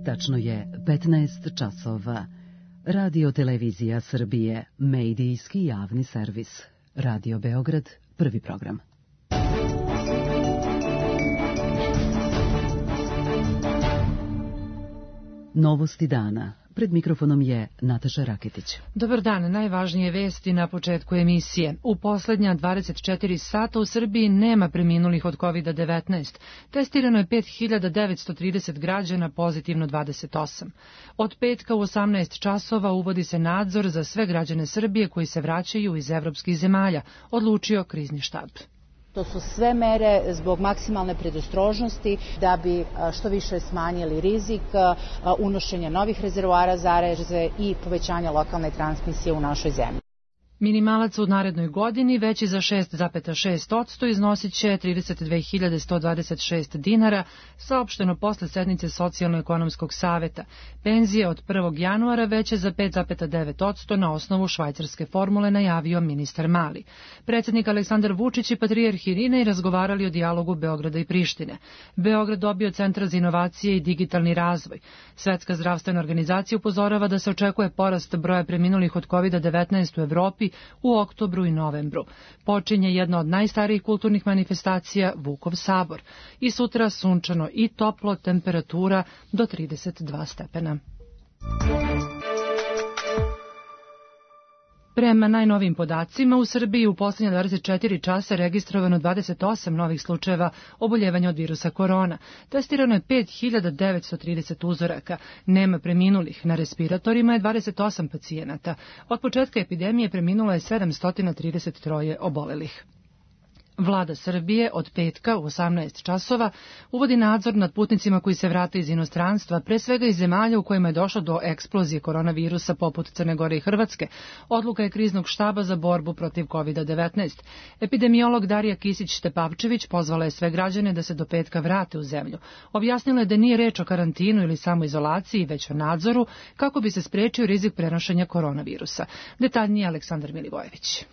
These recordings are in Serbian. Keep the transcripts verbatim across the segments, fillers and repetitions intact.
Tačno je petnaest časova. Radio Televizija Srbije, medijski javni servis. Radio Beograd, prvi program. Novosti dana. Pred mikrofonom je Nataša Raketić. Dobar dan, najvažnije vesti na početku emisije. U poslednja dvadeset četiri sata u Srbiji nema preminulih od kovid devetnaest. Testirano je pet hiljada devetsto trideset građana, pozitivno dvadeset osam. Od petka u osamnaest časova uvodi se nadzor za sve građane Srbije koji se vraćaju iz evropskih zemalja, odlučio krizni štab. To su sve mere zbog maksimalne predostrožnosti da bi što više smanjili rizik unošenja novih rezervoara zaraze i povećanja lokalne transmisije u našoj zemlji. Minimalac u narednoj godini veći za šest zarez šest posto iznosit će trideset dve hiljade sto dvadeset šest dinara, saopšteno posle sednice Socijalno-ekonomskog saveta. Penzije od prvog januara veće za pet zarez devet posto na osnovu švajcarske formule, najavio ministar Mali. Predsjednik Aleksandar Vučić i patrijarh Irinej razgovarali o dijalogu Beograda i Prištine. Beograd dobio Centar za inovacije i digitalni razvoj. Svetska zdravstvena organizacija upozorava da se očekuje porast broja preminulih od kovid devetnaest u Evropi u oktobru i novembru. Počinje jedna od najstarijih kulturnih manifestacija, Vukov sabor. I sutra sunčano i toplo, temperatura do trideset dva stepena. Prema najnovijim podacima, u Srbiji u posljednje dvadeset četiri časa registrovano dvadeset osam novih slučajeva oboljevanja od virusa korona. Testirano je pet hiljada devetsto trideset uzoraka. Nema preminulih. Na respiratorima je dvadeset osam pacijenata. Od početka epidemije preminulo je sedamsto trideset tri obolelih. Vlada Srbije od petka u osamnaest časova uvodi nadzor nad putnicima koji se vrate iz inostranstva, pre svega iz zemalja u kojima je došlo do eksplozije koronavirusa poput Crne Gore i Hrvatske. Odluka je kriznog štaba za borbu protiv kovid devetnaest. Epidemiolog Darija Kisić-Tepavčević pozvala je sve građane da se do petka vrate u zemlju. Objasnila je da nije reč o karantinu ili samoizolaciji, već o nadzoru kako bi se sprečio rizik prenošenja koronavirusa. Detaljnije Aleksandar Milivojević.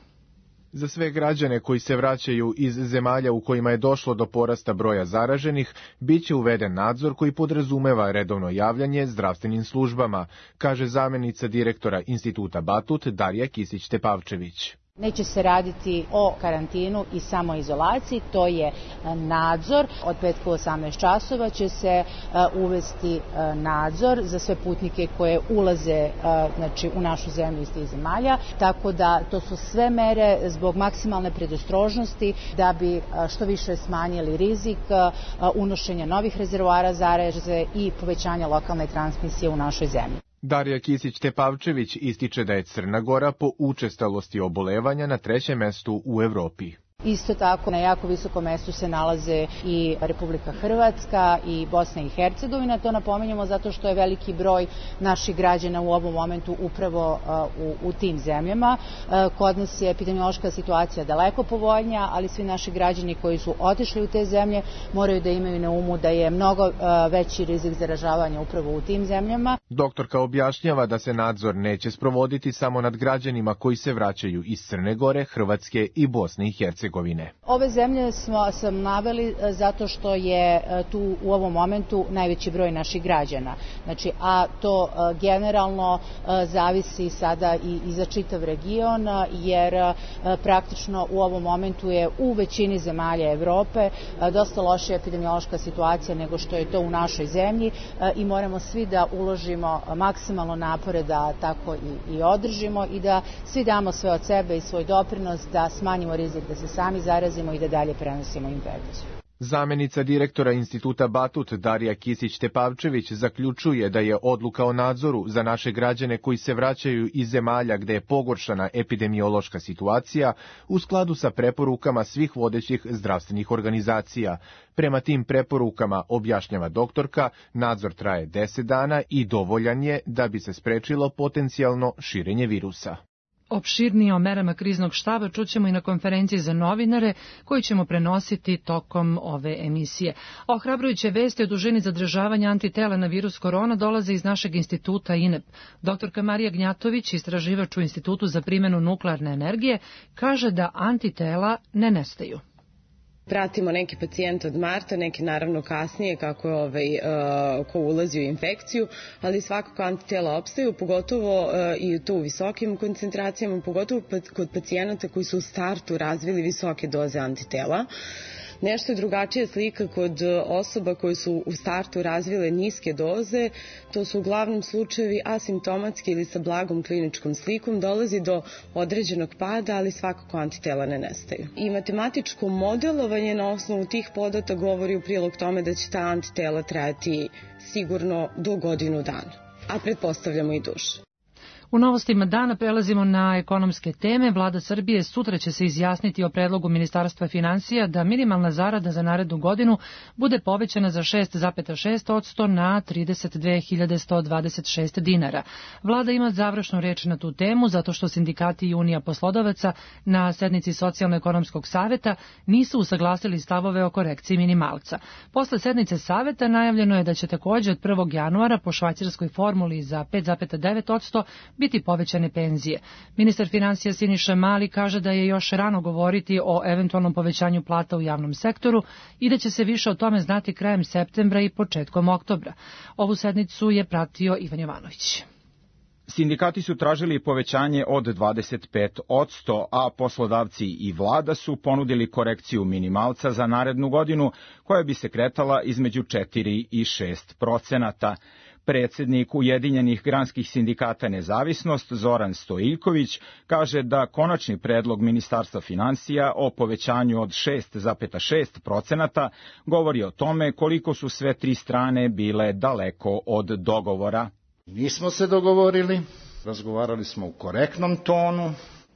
Za sve građane koji se vraćaju iz zemalja u kojima je došlo do porasta broja zaraženih, bit će uveden nadzor koji podrazumeva redovno javljanje zdravstvenim službama, kaže zamjenica direktora Instituta Batut Darija Kisić-Tepavčević. Neće se raditi o karantinu i samoizolaciji, to je nadzor. Od petka u osamnaest časova će se uvesti nadzor za sve putnike koje ulaze znači, u našu zemlju iz tih zemalja, tako da to su sve mere zbog maksimalne predostrožnosti da bi što više smanjili rizik unošenja novih rezervoara zaraze i povećanja lokalne transmisije u našoj zemlji. Darija Kisić-Tepavčević ističe da je Crna Gora po učestalosti obolevanja na trećem mestu u Evropi. Isto tako na jako visokom mestu se nalaze i Republika Hrvatska i Bosna i Hercegovina. To napominjemo zato što je veliki broj naših građana u ovom momentu upravo u, u tim zemljama. Kod nas je epidemiološka situacija daleko povoljnija, ali svi naši građani koji su otišli u te zemlje moraju da imaju na umu da je mnogo veći rizik zaražavanja upravo u tim zemljama. Doktorka objašnjava da se nadzor neće sprovoditi samo nad građanima koji se vraćaju iz Crne Gore, Hrvatske i Bosne i Hercegovine. Ove zemlje smo sam naveli zato što je tu u ovom momentu najveći broj naših građana. Znači, a to generalno zavisi sada i, i za čitav region, jer praktično u ovom momentu je u većini zemalja Evrope dosta loša epidemiološka situacija nego što je to u našoj zemlji i moramo svi da uložimo maksimalno napore da tako i, i održimo i da svi damo sve od sebe i svoj doprinos da smanjimo rizik da se sami zarazimo i da dalje prenosimo infekciju. Zamjenica direktora Instituta Batut Darija Kisić-Tepavčević zaključuje da je odluka o nadzoru za naše građane koji se vraćaju iz zemalja gde je pogoršana epidemiološka situacija u skladu sa preporukama svih vodećih zdravstvenih organizacija. Prema tim preporukama, objašnjava doktorka, nadzor traje deset dana i dovoljan je da bi se sprečilo potencijalno širenje virusa. Opširnije o merama kriznog štaba čućemo i na konferenciji za novinare koju ćemo prenositi tokom ove emisije. Ohrabrujuće vesti o dužini zadržavanja antitela na virus korona dolaze iz našeg instituta I N E P. Doktorka Marija Gnjatović, istraživač u Institutu za primjenu nuklearne energije, kaže da antitela ne nestaju. Pratimo neki pacijente od marta, neki naravno kasnije kako je ovaj, uh, ko ulazi u infekciju, ali svakako antitela opstaju, pogotovo uh, i to u visokim koncentracijama, pogotovo kod pacijenata koji su u startu razvili visoke doze antitela. Nešto je drugačija slika kod osoba koje su u startu razvile niske doze, to su uglavnom slučajevi asimptomatski ili sa blagom kliničkom slikom, dolazi do određenog pada, ali svakako antitela ne nestaju. I matematičko modelovanje na osnovu tih podataka govori u prilog tome da će ta antitela trajati sigurno do godinu dana, a pretpostavljamo i duže. U novostima dana prelazimo na ekonomske teme. Vlada Srbije sutra će se izjasniti o predlogu Ministarstva finansija da minimalna zarada za narednu godinu bude povećana za šest zarez šest posto na trideset dve hiljade sto dvadeset šest dinara. Vlada ima završnu reč na tu temu zato što sindikati i Unija poslodavaca na sednici Socijalno-ekonomskog saveta nisu usaglasili stavove o korekciji minimalca. Posle sednice saveta najavljeno je da će takođe od prvog januara po švajcarskoj formuli za pet zarez devet posto biti povećane penzije. Ministar finansija Siniša Mali kaže da je još rano govoriti o eventualnom povećanju plata u javnom sektoru i da će se više o tome znati krajem septembra i početkom oktobra. Ovu sednicu je pratio Ivan Jovanović. Sindikati su tražili povećanje od dvadeset pet posto, a poslodavci i vlada su ponudili korekciju minimalca za narednu godinu koja bi se kretala između četiri i šest procenata. Predsednik Ujedinjenih granskih sindikata Nezavisnost Zoran Stojiljković kaže da konačni predlog Ministarstva finansija o povećanju od šest zarez šest procenata govori o tome koliko su sve tri strane bile daleko od dogovora. Nismo se dogovorili, razgovarali smo u korektnom tonu,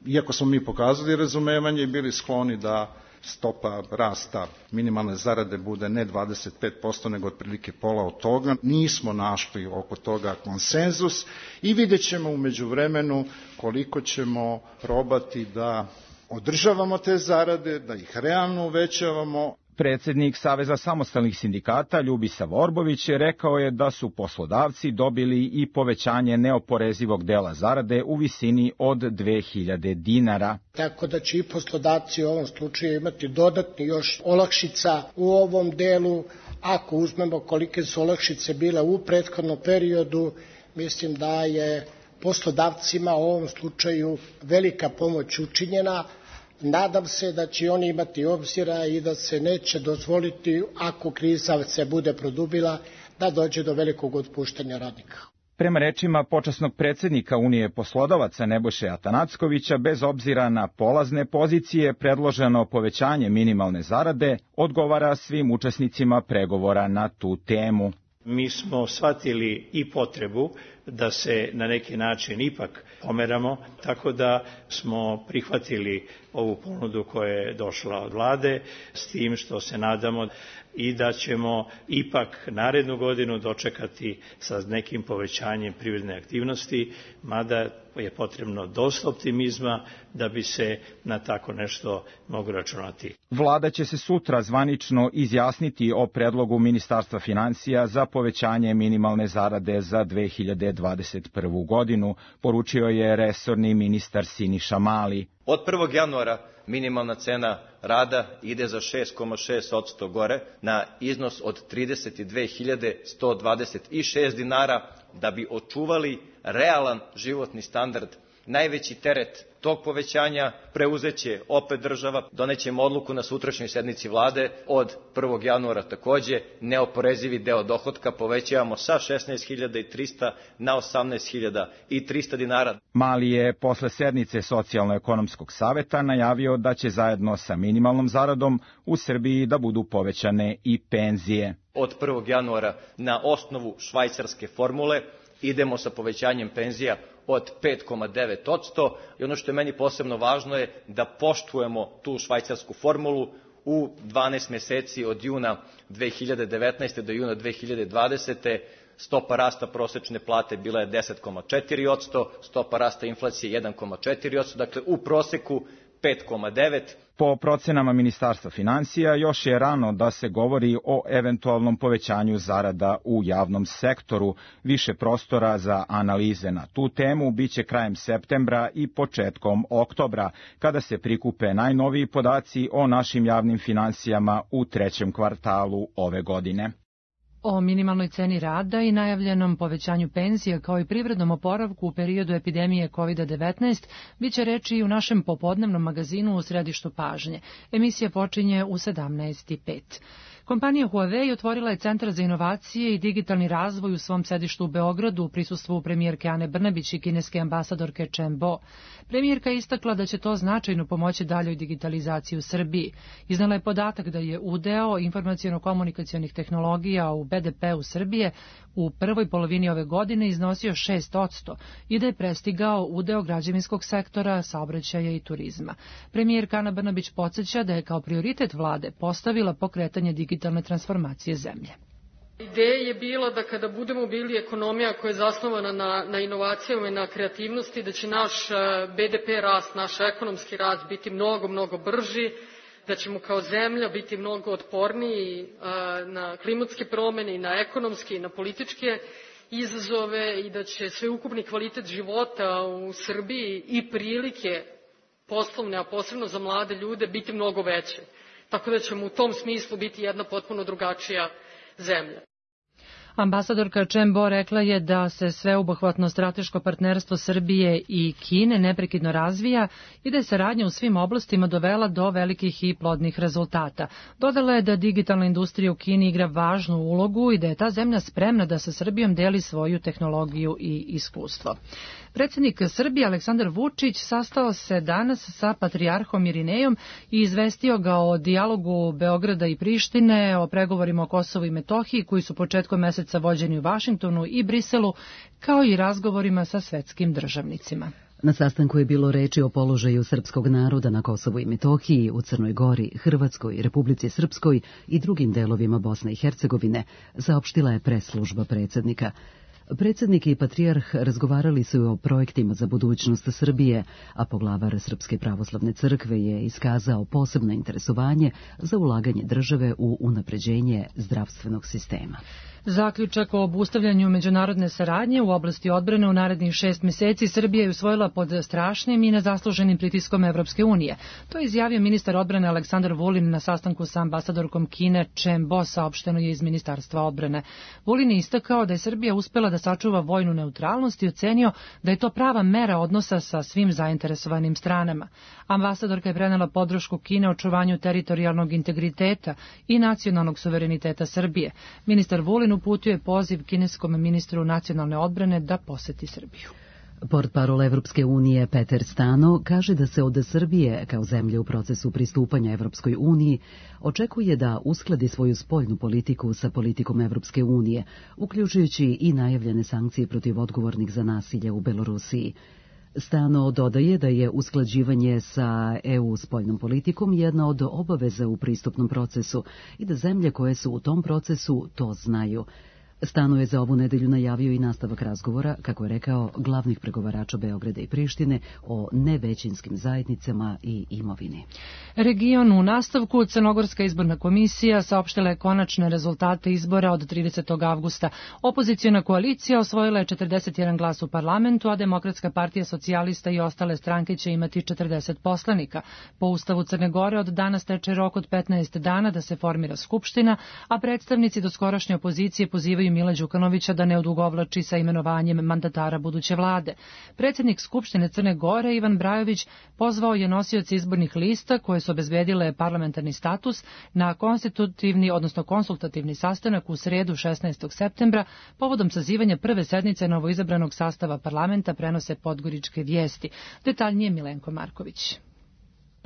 iako smo mi pokazali razumevanje i bili skloni da stopa rasta minimalne zarade bude ne dvadeset pet posto nego otprilike pola od toga. Nismo našli oko toga konsenzus i vidjet ćemo u međuvremenu koliko ćemo probati da održavamo te zarade, da ih realno uvećavamo. Predsednik Saveza samostalnih sindikata Ljubisa Vorbović rekao je da su poslodavci dobili i povećanje neoporezivog dela zarade u visini od dve hiljade dinara. Tako da će i poslodavci u ovom slučaju imati dodatni još olakšica u ovom delu. Ako uzmemo kolike su olakšice bile u prethodnom periodu, mislim da je poslodavcima u ovom slučaju velika pomoć učinjena. Nadam se da će oni imati obzira i da se neće dozvoliti, ako kriza se bude produbila, da dođe do velikog otpuštanja radnika. Prema rečima počasnog predsednika Unije poslodavaca Nebojše Atanackovića, bez obzira na polazne pozicije, predloženo povećanje minimalne zarade odgovara svim učesnicima pregovora na tu temu. Mi smo shvatili i potrebu da se na neki način ipak pomeramo, tako da smo prihvatili ovu ponudu koja je došla od vlade, s tim što se nadamo i da ćemo ipak narednu godinu dočekati sa nekim povećanjem privredne aktivnosti, mada je potrebno dosta optimizma da bi se na tako nešto moglo računati. Vlada će se sutra zvanično izjasniti o predlogu Ministarstva finansija za povećanje minimalne zarade za dve hiljade dvadeset prvu godinu, poručio je resorni ministar Siniša Mali. Od prvog januara minimalna cena rada ide za šest zarez šest posto gore na iznos od trideset dve hiljade sto dvadeset šest dinara da bi očuvali realan životni standard. Najveći teret tog povećanja preuzeće opet država, donećemo odluku na sutrašnjoj sednici vlade od prvog januara takođe, neoporezivi deo dohotka povećavamo sa šesnaest hiljada trista na osamnaest hiljada trista dinara. Mali je posle sednice Socijalno-ekonomskog saveta najavio da će zajedno sa minimalnom zaradom u Srbiji da budu povećane i penzije. Od prvog januara na osnovu švajcarske formule idemo sa povećanjem penzija od pet zarez devet posto i ono što je meni posebno važno je da poštujemo tu švajcarsku formulu u dvanaest meseci od juna dve hiljade devetnaeste. do juna dve hiljade dvadesete. Stopa rasta prosečne plate bila je deset zarez četiri posto, stopa rasta inflacije jedan zarez četiri posto, dakle u proseku pet zarez devet. Po procenama Ministarstva financija, još je rano da se govori o eventualnom povećanju zarada u javnom sektoru. Više prostora za analize na tu temu biće krajem septembra i početkom oktobra, kada se prikupe najnoviji podaci o našim javnim financijama u trećem kvartalu ove godine. O minimalnoj ceni rada i najavljenom povećanju penzija kao i privrednom oporavku u periodu epidemije kovid devetnaest biće reči i u našem popodnevnom magazinu u središtu pažnje. Emisija počinje u sedamnaest i pet. Kompanija Huawei otvorila je Centar za inovacije i digitalni razvoj u svom sedištu u Beogradu u prisustvu premijerke Ane Brnabić i kineske ambasadorke Chen Bo. Premijerka je istakla da će to značajno pomoći daljoj digitalizaciji u Srbiji. Iznala je podatak da je udeo informaciono-komunikacionih tehnologija u be de pe u Srbije u prvoj polovini ove godine iznosio šest posto i da je prestigao udeo građevinskog sektora, saobraćaja i turizma. Premijerka Ana Brnabić podsjeća da je kao prioritet vlade postavila pokretanje digitalne transformacije zemlje. Ideja je bila da kada budemo bili ekonomija koja je zasnovana na, na inovacijama i na kreativnosti, da će naš be de pe rast, naš ekonomski rast biti mnogo, mnogo brži, da ćemo kao zemlja biti mnogo otporniji na klimatske promene i na ekonomske i na političke izazove i da će sveukupni kvalitet života u Srbiji i prilike poslovne, a posebno za mlade ljude, biti mnogo veće. Tako da ćemo u tom smislu biti jedna potpuno drugačija zemlja. Ambasadorka Chen Bo rekla je da se sveobuhvatno strateško partnerstvo Srbije i Kine neprekidno razvija i da je saradnja u svim oblastima dovela do velikih i plodnih rezultata. Dodala je da digitalna industrija u Kini igra važnu ulogu i da je ta zemlja spremna da sa Srbijom deli svoju tehnologiju i iskustvo. Predsjednik Srbije Aleksandar Vučić sastao se danas sa patrijarhom Irinejom i izvestio ga o dijalogu Beograda i Prištine, o pregovorima o Kosovu i Metohiji koji su početkom meseca vođeni u Vašingtonu i Briselu, kao i razgovorima sa svetskim državnicima. Na sastanku je bilo reči o položaju srpskog naroda na Kosovu i Metohiji, u Crnoj Gori, Hrvatskoj, Republici Srpskoj i drugim delovima Bosne i Hercegovine, saopštila je press-služba predsjednika. Predsjednik i patrijarh razgovarali su o projektima za budućnost Srbije, a poglavar Srpske pravoslavne crkve je iskazao posebno interesovanje za ulaganje države u unapređenje zdravstvenog sistema. Zaključak o obustavljanju međunarodne saradnje u oblasti odbrane u narednih šest meseci Srbija je usvojila pod strašnim i nezasluženim pritiskom Evropske unije. To je izjavio ministar odbrane Aleksandar Vulin na sastanku sa ambasadorkom Kine Chen Bo, saopšteno je iz Ministarstva odbrane. Vulin je istakao da je Srbija uspela da sačuva vojnu neutralnost i ocenio da je to prava mera odnosa sa svim zainteresovanim stranama. Ambasadorka je prenela podršku Kine očuvanju teritorijalnog integriteta i nacionalnog suvereniteta Srbije. Ministar Vulin uputio je poziv kineskom ministru nacionalne odbrane da poseti Srbiju. Portparol Evropske unije Peter Stano kaže da se od Srbije, kao zemlje u procesu pristupanja Evropskoj uniji, očekuje da uskladi svoju spoljnu politiku sa politikom Evropske unije, uključujući i najavljene sankcije protiv odgovornih za nasilje u Belorusiji. Stano dodaje da je usklađivanje sa E U spoljnom politikom jedna od obaveza u pristupnom procesu i da zemlje koje su u tom procesu to znaju. Stano je za ovu nedelju najavio i nastavak razgovora, kako je rekao, glavnih pregovarača Beograda i Prištine o nevećinskim zajednicama i imovini. Region u nastavku, Crnogorska izborna komisija saopštila je konačne rezultate izbora od tridesetog avgusta. Opoziciona koalicija osvojila je četrdeset jedan glas u parlamentu, a Demokratska partija socijalista i ostale stranke će imati četrdeset poslanika. Po Ustavu Crne Gore od danas teče rok od petnaest dana da se formira skupština, a predstavnici doskorašnje opozicije pozivaju Mila Đukanovića da ne odugovlači sa imenovanjem mandatara buduće vlade. Predsjednik Skupštine Crne Gore Ivan Brajović pozvao je nosioce izbornih lista koje su obezbedile parlamentarni status na konstitutivni, odnosno konsultativni sastanak u sredu šesnaestog septembra povodom sazivanja prve sednice novoizabranog sastava parlamenta, prenose Podgoričke vijesti. Detaljnije Milenko Marković.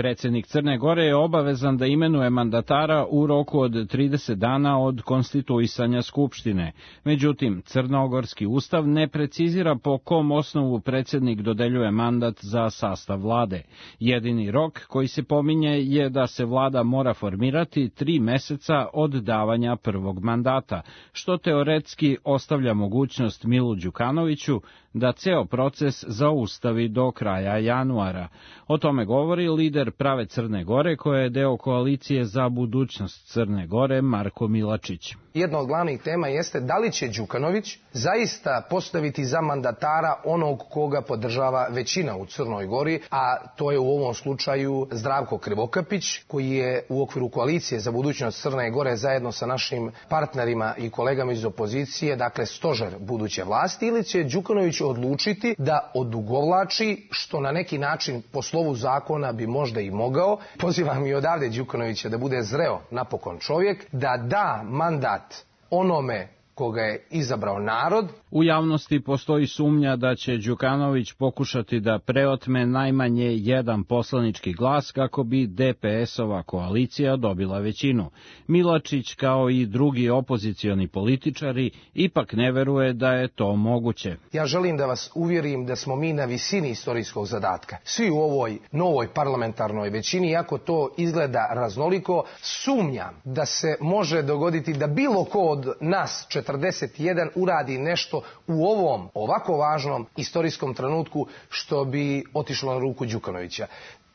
Predsjednik Crne Gore je obavezan da imenuje mandatara u roku od trideset dana od konstituisanja Skupštine. Međutim, Crnogorski ustav ne precizira po kom osnovu predsjednik dodeljuje mandat za sastav vlade. Jedini rok koji se pominje je da se vlada mora formirati tri meseca od davanja prvog mandata, što teoretski ostavlja mogućnost Milu Đukanoviću da ceo proces zaustavi do kraja januara. O tome govori lider Prave Crne Gore, koja je deo koalicije za budućnost Crne Gore, Marko Milačić. Jedna od glavnih tema jeste da li će Đukanović zaista postaviti za mandatara onog koga podržava većina u Crnoj Gori, a to je u ovom slučaju Zdravko Krivokapić, koji je u okviru koalicije za budućnost Crne Gore zajedno sa našim partnerima i kolegama iz opozicije, dakle stožer buduće vlasti, ili će Đukanović odlučiti da odugovlači, što na neki način po slovu zakona bi možda i mogao. Pozivam i odavde Đukanovića da bude zreo napokon čovjek, da da mandat onome koga je izabrao narod. U javnosti postoji sumnja da će Đukanović pokušati da preotme najmanje jedan poslanički glas kako bi D P S-ova koalicija dobila većinu. Milačić, kao i drugi opozicioni političari, ipak ne veruje da je to moguće. Ja želim da vas uvjerim da smo mi na visini istorijskog zadatka. Svi u ovoj novoj parlamentarnoj većini, iako to izgleda raznoliko, sumnjam da se može dogoditi da bilo ko od nas četrdeset jedan uradi nešto u ovom ovako važnom istorijskom trenutku što bi otišlo na ruku Đukanovića.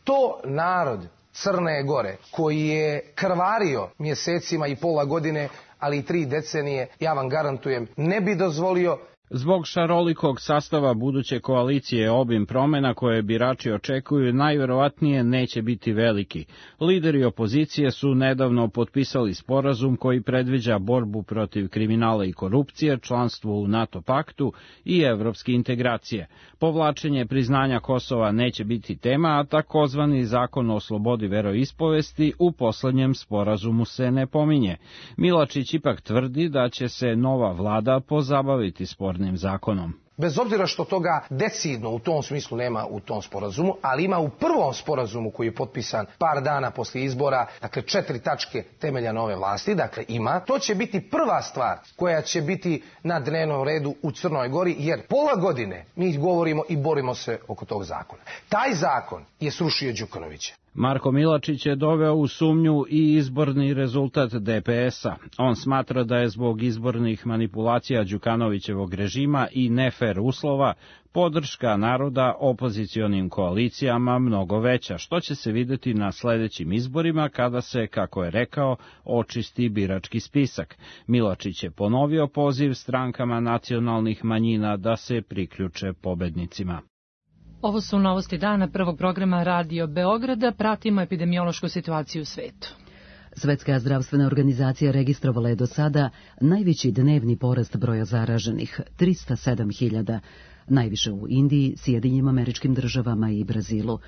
To narod Crne Gore, koji je krvario mjesecima i pola godine, ali i tri decenije, ja vam garantujem, ne bi dozvolio. Zbog šarolikog sastava buduće koalicije, obim promjena koje birači očekuju najverovatnije neće biti veliki. Lideri opozicije su nedavno potpisali sporazum koji predviđa borbu protiv kriminala i korupcije, članstvo u NATO paktu i evropske integracije. Povlačenje priznanja Kosova neće biti tema, a takozvani zakon o slobodi veroispovesti u poslednjem sporazumu se ne pominje. Milačić ipak tvrdi da će se nova vlada pozabaviti spornim zakonom. Bez obzira što toga decidno u tom smislu nema u tom sporazumu, ali ima u prvom sporazumu koji je potpisan par dana poslije izbora, dakle četiri tačke temelja nove vlasti, dakle ima, to će biti prva stvar koja će biti na dnevnom redu u Crnoj Gori, jer pola godine mi govorimo i borimo se oko tog zakona. Taj zakon je srušio Đukanovića. Marko Milačić je doveo u sumnju i izborni rezultat D P S-a. On smatra da je zbog izbornih manipulacija Đukanovićevog režima i nefer uslova podrška naroda opozicionim koalicijama mnogo veća, što će se videti na sledećim izborima kada se, kako je rekao, očisti birački spisak. Milačić je ponovio poziv strankama nacionalnih manjina da se priključe pobednicima. Ovo su novosti dana prvog programa Radio Beograda. Pratimo epidemiološku situaciju u svetu. Svetska zdravstvena organizacija registrovala je do sada najveći dnevni porast broja zaraženih, trista sedam hiljada, najviše u Indiji, Sjedinjenim Američkim Državama i Brazilu.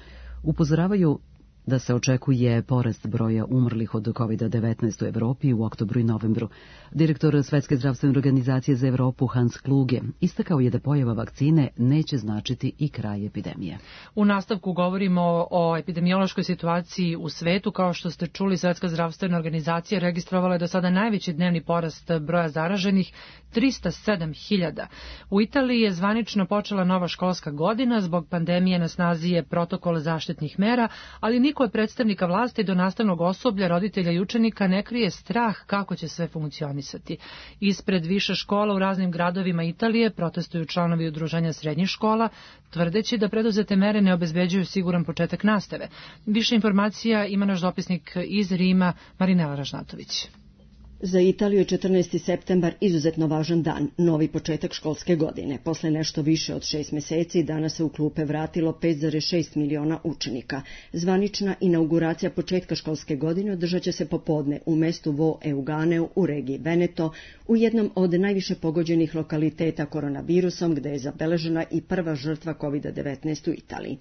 Upozoravaju da se očekuje porast broja umrlih od kovid devetnaest u Evropi u oktobru i novembru. Direktor Svetske zdravstvene organizacije za Evropu Hans Kluge istakao je da pojava vakcine neće značiti i kraj epidemije. U nastavku govorimo o epidemiološkoj situaciji u svetu. Kao što ste čuli, Svetska zdravstvena organizacija registrovala je do sada najveći dnevni porast broja zaraženih, trista sedam hiljada. U Italiji je zvanično počela nova školska godina. Zbog pandemije na snazi je protokol zaštitnih mera, ali niko od predstavnika vlasti do nastavnog osoblja, roditelja i učenika ne krije strah kako će sve funkcionisati. Ispred više škola u raznim gradovima Italije protestuju članovi udruženja srednjih škola, tvrdeći da preduzete mere ne obezbeđuju siguran početak nastave. Više informacija ima naš dopisnik iz Rima, Marinela Ražnatović. Za Italiju je četrnaesti septembar izuzetno važan dan, novi početak školske godine. Posle nešto više od šest meseci danas se u klupe vratilo pet zarez šest miliona učenika. Zvanična inauguracija početka školske godine održat će se popodne u mestu Vo Euganeu u regiji Veneto, u jednom od najviše pogođenih lokaliteta koronavirusom, gde je zabeležena i prva žrtva kovid devetnaest u Italiji.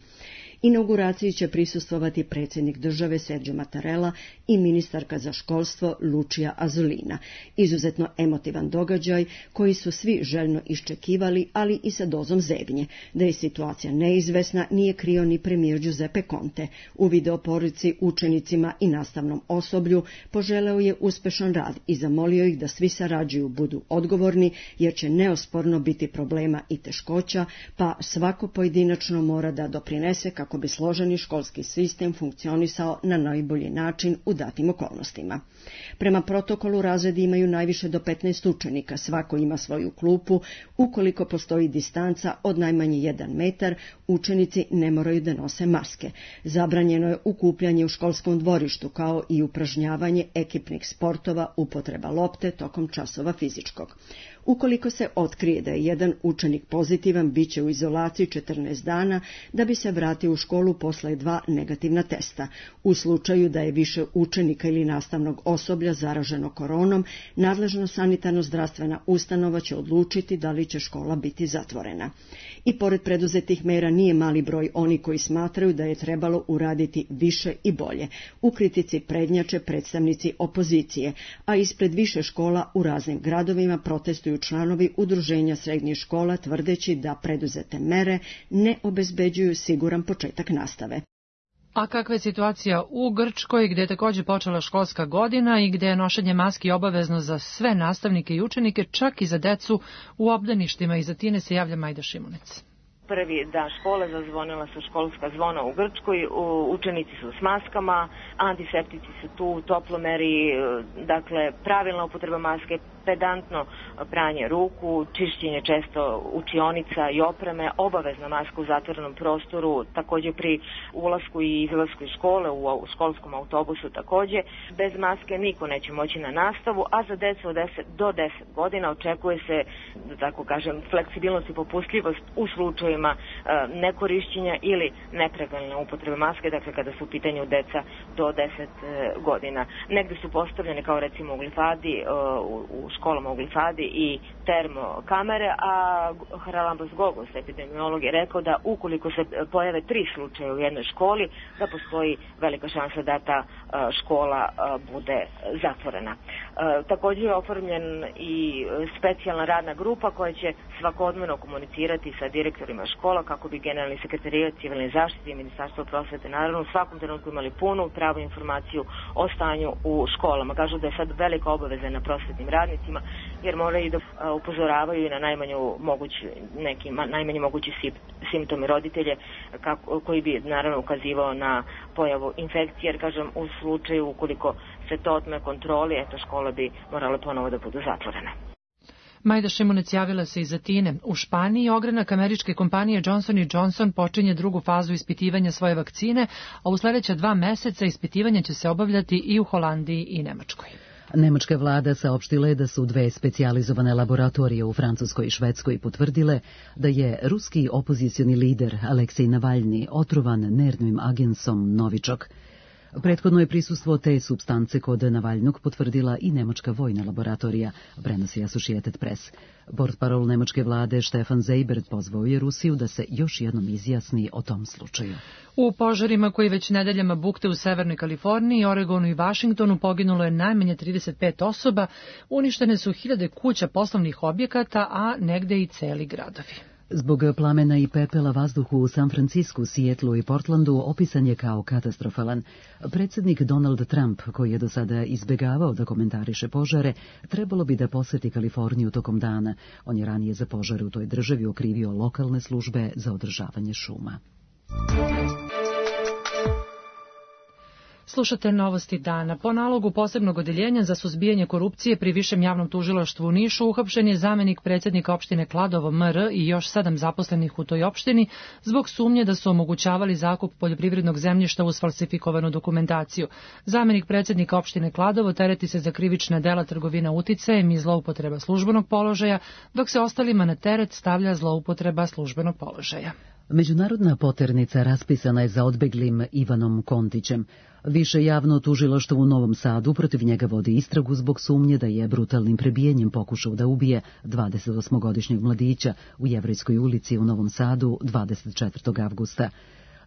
Inauguraciji će prisustvovati predsjednik države Sergio Mattarella i ministarka za školstvo Lucia Azzolina. Izuzetno emotivan događaj koji su svi željno iščekivali, ali i sa dozom zebnje. Da je situacija neizvesna nije krio ni premijer Giuseppe Conte. U videoporici učenicima i nastavnom osoblju poželeo je uspešan rad i zamolio ih da svi sarađuju, budu odgovorni, jer će neosporno biti problema i teškoća, pa svako pojedinačno mora da doprinese kako kako bi složeni školski sistem funkcionisao na najbolji način u datim okolnostima. Prema protokolu razredi imaju najviše do petnaest učenika, svako ima svoju klupu, ukoliko postoji distanca od najmanje jedan metar, učenici ne moraju da nose maske. Zabranjeno je okupljanje u školskom dvorištu, kao i upražnjavanje ekipnih sportova, upotreba lopte tokom časova fizičkog. Ukoliko se otkrije da je jedan učenik pozitivan, bit će u izolaciji četrnaest dana da bi se vratio u školu posle dva negativna testa. U slučaju da je više učenika ili nastavnog osoblja zaraženo koronom, nadležna sanitarno-zdravstvena ustanova će odlučiti da li će škola biti zatvorena. I pored preduzetih mera nije mali broj oni koji smatraju da je trebalo uraditi više i bolje. U kritici prednjače predstavnici opozicije, a ispred više škola u raznim gradovima protestuju članovi udruženja srednjih škola tvrdeći da preduzete mere ne obezbeđuju siguran početak nastave. A kakva je situacija u Grčkoj, gde je također počela školska godina i gde je nošenje maski obavezno za sve nastavnike i učenike, čak i za decu u obdaništima? Iz Atine se javlja Majda Šimunec. Prvi dan škole zazvonila su školska zvona u Grčkoj, učenici su s maskama, antiseptici su tu, toplomeri, dakle pravilna upotreba maske, pedantno pranje ruku, čišćenje često učionica i opreme, obavezna maska u zatvorenom prostoru, također pri ulasku i izlasku iz škole, u školskom autobusu također. Bez maske niko neće moći na nastavu, a za decu od deset do deset godina očekuje se, da tako kažem, fleksibilnost i popustljivost u slučaju nekorišćenja ili nepravilne upotrebe maske, dakle kada su u pitanju deca do deset godina. Negde su postavljene kao recimo u glifadi, u školama u glifadi i termokamere, a Haralambos Gogos, epidemiolog, je rekao da ukoliko se pojave tri slučaja u jednoj školi, da postoji velika šansa da ta škola bude zatvorena. Također je oformljen i specijalna radna grupa koja će svakodnevno komunicirati sa direktorima škola kako bi generalni sekretarijat civilne zaštite i Ministarstvo prosvete naravno u svakom trenutku imali punu pravu informaciju o stanju u školama. Kažu da je sad velika obaveza na prosvetnim radnicima jer moraju da upozoravaju na najmanju mogući, neki najmanji mogući simptomi roditelje kako, koji bi naravno ukazivao na pojavu infekcije, jer kažem u slučaju ukoliko se to otme kontroli, eto škole bi morale ponovo da budu zatvorene. Majda Šimunec javila se iz Atine. U Španiji ogranak američke kompanije Johnson and Johnson počinje drugu fazu ispitivanja svoje vakcine, a u sljedeća dva meseca ispitivanja će se obavljati i u Holandiji i Nemačkoj. Nemačka vlada saopštila je da su dve specijalizovane laboratorije u Francuskoj i Švedskoj potvrdile da je ruski opozicioni lider Aleksej Navalni otrovan nervnim agensom Novičok. Prethodno je prisustvo te supstance kod Navalnog potvrdila i nemačka vojna laboratorija, prenosi Associated Press. Portparol nemačke vlade Stefan Seibert pozvao je Rusiju da se još jednom izjasni o tom slučaju. U požarima koji već nedeljama bukte u Severnoj Kaliforniji, Oregonu i Vašingtonu poginulo je najmanje trideset pet osoba, uništene su hiljade kuća, poslovnih objekata, a negde i celi gradovi. Zbog plamena i pepela vazduh u San Francisku, Sijetlu i Portlandu opisan je kao katastrofalan. Predsjednik Donald Trump, koji je do sada izbjegavao da komentariše požare, trebalo bi da poseti Kaliforniju tokom dana. On je ranije za požare u toj državi okrivio lokalne službe za održavanje šuma. Slušate novosti dana. Po nalogu posebnog odeljenja za suzbijanje korupcije pri Višem javnom tužilaštvu u Nišu uhapšen je zamenik predsjednika opštine Kladovo M R i još sedam zaposlenih u toj opštini zbog sumnje da su omogućavali zakup poljoprivrednog zemljišta uz falsifikovanu dokumentaciju. Zamenik predsjednika opštine Kladovo tereti se za krivična dela trgovina uticajem i zloupotreba službenog položaja, dok se ostalima na teret stavlja zloupotreba službenog položaja. Međunarodna poternica raspisana je za odbeglim Ivanom Kontićem. Više javno tužilaštvo u Novom Sadu protiv njega vodi istragu zbog sumnje da je brutalnim prebijenjem pokušao da ubije dvadesetosmogodišnjeg mladića u Jevrejskoj ulici u Novom Sadu dvadeset četvrtog avgusta.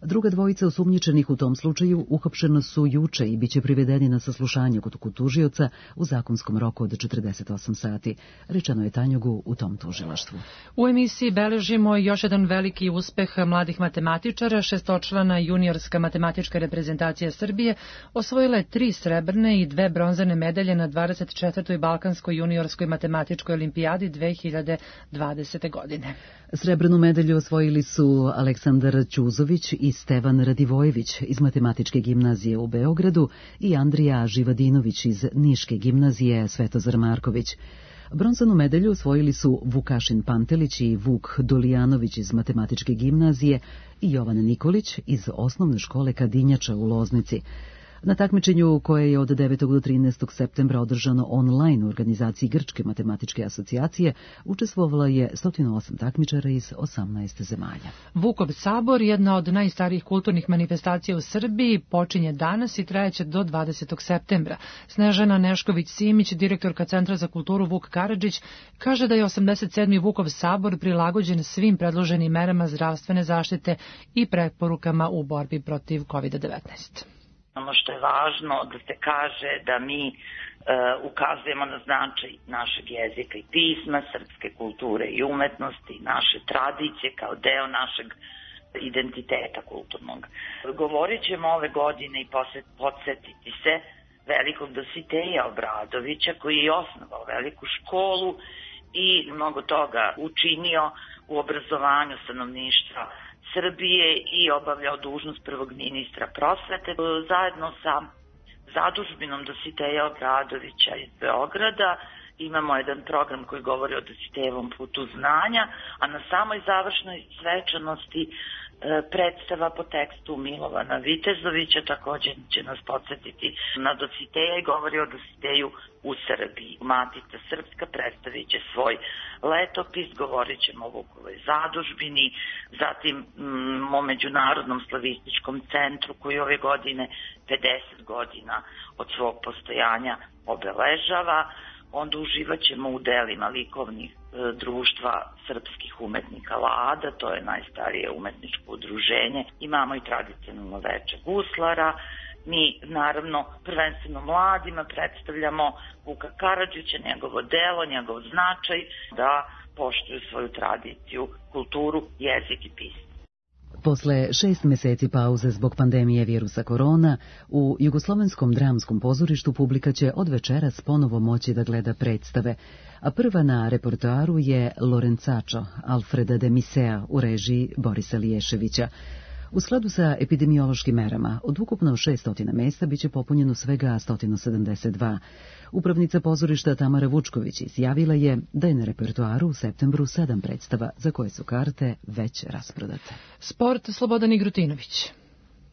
Druga dvojica osumnjičenih u tom slučaju uhapšena su juče i biće privedeni na saslušanje kod tužioca u zakonskom roku od četrdeset osam sati, rečeno je Tanjugu u tom tužilaštvu. U emisiji beležimo još jedan veliki uspeh mladih matematičara. Šestočlana juniorska matematička reprezentacija Srbije osvojila je tri srebrne i dve bronzane medalje na dvadeset četvrtoj Balkanskoj juniorskoj matematičkoj olimpijadi dve hiljade dvadesete godine. Srebrnu medalju osvojili su Aleksandar Ćuzović i Stevan Radivojević iz Matematičke gimnazije u Beogradu i Andrija Živadinović iz Niške gimnazije Svetozar Marković. Bronzanu medalju osvojili su Vukašin Pantelić i Vuk Dolijanović iz Matematičke gimnazije i Jovan Nikolić iz Osnovne škole Kadinjača u Loznici. Na takmičenju koje je od devetog do trinaestog septembra održano online u organizaciji Grčke matematičke asocijacije učestvovala je sto osam takmičara iz osamnaest zemalja. Vukov sabor, jedna od najstarijih kulturnih manifestacija u Srbiji, počinje danas i trajeće do dvadesetog septembra. Snežana Nešković-Simić, direktorka Centra za kulturu Vuk Karadžić, kaže da je osamdeset sedmi Vukov sabor prilagođen svim predloženim merama zdravstvene zaštite i preporukama u borbi protiv kovid devetnaest. Ono što je važno da se kaže da mi e, ukazujemo na značaj našeg jezika i pisma, srpske kulture i umetnosti, naše tradicije kao deo našeg identiteta kulturnog. Govorit ćemo ove godine i podsjetiti se velikog Dositeja Obradovića koji je osnovao veliku školu i mnogo toga učinio u obrazovanju stanovništva Srbije i obavljao dužnost prvog ministra prosvete. Zajedno sa zadužbinom Dositeja Obradovića iz Beograda imamo jedan program koji govori o Dositejevom putu znanja, a na samoj završnoj svečanosti predstava po tekstu Milovana Vitezovića također će nas podsjetiti na Dositeja i govori o Dositeju u Srbiji. Matica Srpska predstavit će svoj letopis, govorit ćemo o Vukovoj zadužbini, zatim mm, o Međunarodnom slavističkom centru koji ove godine pedeset godina od svog postojanja obeležava. Onda uživat ćemo u delima likovnih e, društva srpskih umetnika Lada, to je najstarije umetničko udruženje. Imamo i tradicionalno veče guslara. Mi, naravno, prvenstveno mladima predstavljamo Vuka Karadžića, njegovo delo, njegov značaj, da poštuju svoju tradiciju, kulturu, jezik i pismo. Posle šest meseci pauze zbog pandemije virusa korona, u Jugoslovenskom dramskom pozorištu publika će od večeras ponovo moći da gleda predstave, a prva na repertoaru je Lorenzačo Alfreda de Misea u režiji Borisa Liješevića. U skladu sa epidemiološkim merama, od ukupno šessto mesta biće popunjeno svega sto sedamdeset dva. Upravnica pozorišta Tamara Vučković izjavila je da je na repertoaru u septembru sedam predstava za koje su karte već rasprodate. Sport, Slobodan Igrutinović.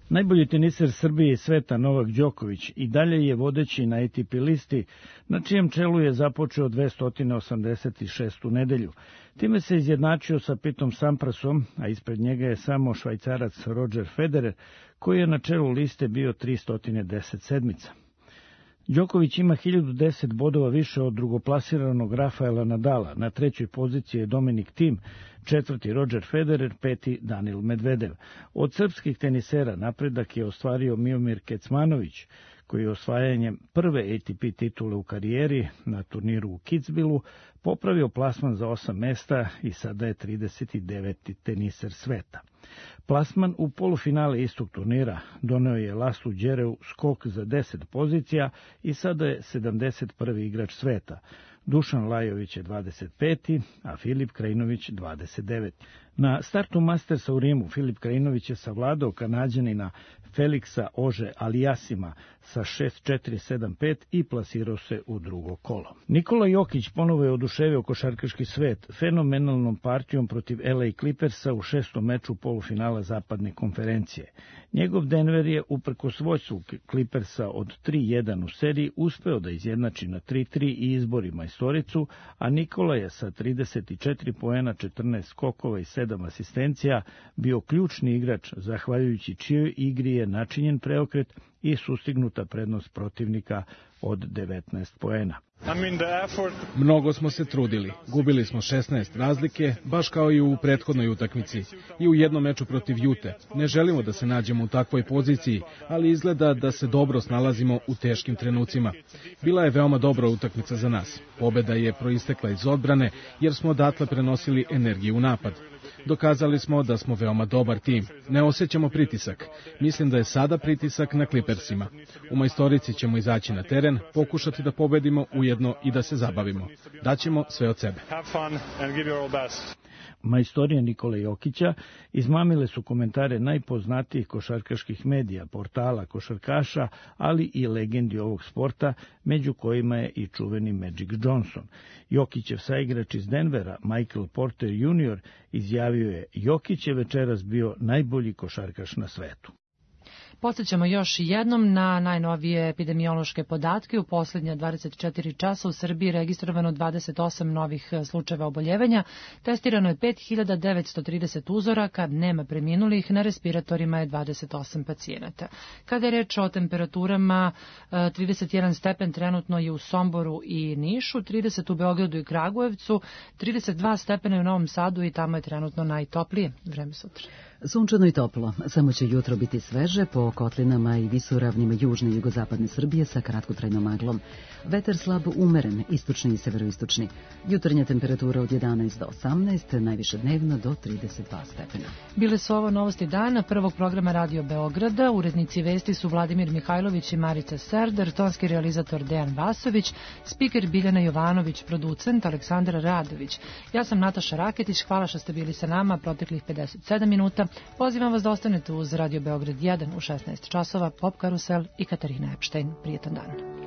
Najbolji teniser Srbije i sveta Novak Đoković i dalje je vodeći na A T P listi, na čijem čelu je započeo dvesta osamdeset šestu nedelju. Time se izjednačio sa Pitom Samprasom, a ispred njega je samo Švajcarac Roger Federer, koji je na čelu liste bio tristo deset sedmica. Đoković ima hiljadu deset bodova više od drugoplasiranog Rafaela Nadala, na trećoj poziciji je Dominik Thiem, četvrti Roger Federer, peti Danil Medvedev. Od srpskih tenisera napredak je ostvario Miomir Kecmanović, koji je osvajanjem prve A T P titule u karijeri na turniru u Kitzbühelu popravio plasman za osam mesta i sada je trideset deveti teniser sveta. Plasman u polufinale istog turnira doneo je Laslu Đereu skok za deset pozicija i sada je sedamdeset prvi igrač sveta. Dušan Lajović je dvadeset peti, a Filip Krajinović dvadeset deveti. Na startu Mastersa u Rimu Filip Krajinović je savladao Kanađanina Feliksa Ože Alijasima sa šest četiri sedam pet i plasirao se u drugo kolo. Nikola Jokić ponovo je oduševio košarkaški svet fenomenalnom partijom protiv L A Clippersa u šestom meču polufinala zapadne konferencije. Njegov Denver je uprkos vođstvu Clippersa od tri jedan u seriji uspeo da izjednači na tri tri i izbori majstoricu, a Nikola je sa trideset četiri poena, četrnaest skokova i sedam asistencija bio ključni igrač, zahvaljujući čijoj igri je načinjen preokret i sustignuta prednost protivnika od devetnaest poena. Mnogo smo se trudili. Gubili smo šesnaest razlike, baš kao i u prethodnoj utakmici. I u jednom meču protiv Jute. Ne želimo da se nađemo u takvoj poziciji, ali izgleda da se dobro snalazimo u teškim trenucima. Bila je veoma dobra utakmica za nas. Pobeda je proistekla iz odbrane, jer smo odatle prenosili energiju u napad. Dokazali smo da smo veoma dobar tim. Ne osjećamo pritisak. Mislim da je sada pritisak na Clippersima. U majstorici ćemo izaći na teren, pokušati da pobedimo ujedno i da se zabavimo. Daćemo sve od sebe. Majstorije Nikole Jokića izmamile su komentare najpoznatijih košarkaških medija, portala, košarkaša, ali i legendi ovog sporta, među kojima je i čuveni Magic Johnson. Jokićev saigrač iz Denvera, Michael Porter junior, izjavio je: Jokić je večeras bio najbolji košarkaš na svetu. Podsjećamo još jednom na najnovije epidemiološke podatke. U posljednja dvadeset četiri časa u Srbiji registrovano dvadeset osam novih slučajeva oboljevanja, testirano je pet hiljada devetsto trideset uzoraka, nema preminulih, na respiratorima je dvadeset osam pacijenata. Kada je reč o temperaturama, trideset jedan stepen trenutno je u Somboru i Nišu, trideset u Beogradu i Kragujevcu, trideset dva stepena u Novom Sadu i tamo je trenutno najtoplije. Vreme sutra. Sunčano i toplo, samo će jutro biti sveže po kotlinama i visoravnima južne i jugozapadne Srbije sa kratkotrajnom maglom. Vetar slab umeren, istočni i severoistočni. Jutarnja temperatura od jedanaest do osamnaest, najviše dnevno do trideset dva stepena. Bile su ovo novosti dana prvog programa Radio Beograda. Urednici vesti su Vladimir Mihajlović i Marica Serdar, tonski realizator Dejan Vasović, spiker Biljana Jovanović, producent Aleksandra Radović. Ja sam Nataša Raketić, hvala što ste bili sa nama proteklih pedeset sedam minuta. Pozivam vas da ostanete uz Radio Beograd jedan u šesnaest časova, Pop Karusel i Katarina Epštajn. Prijetan dan.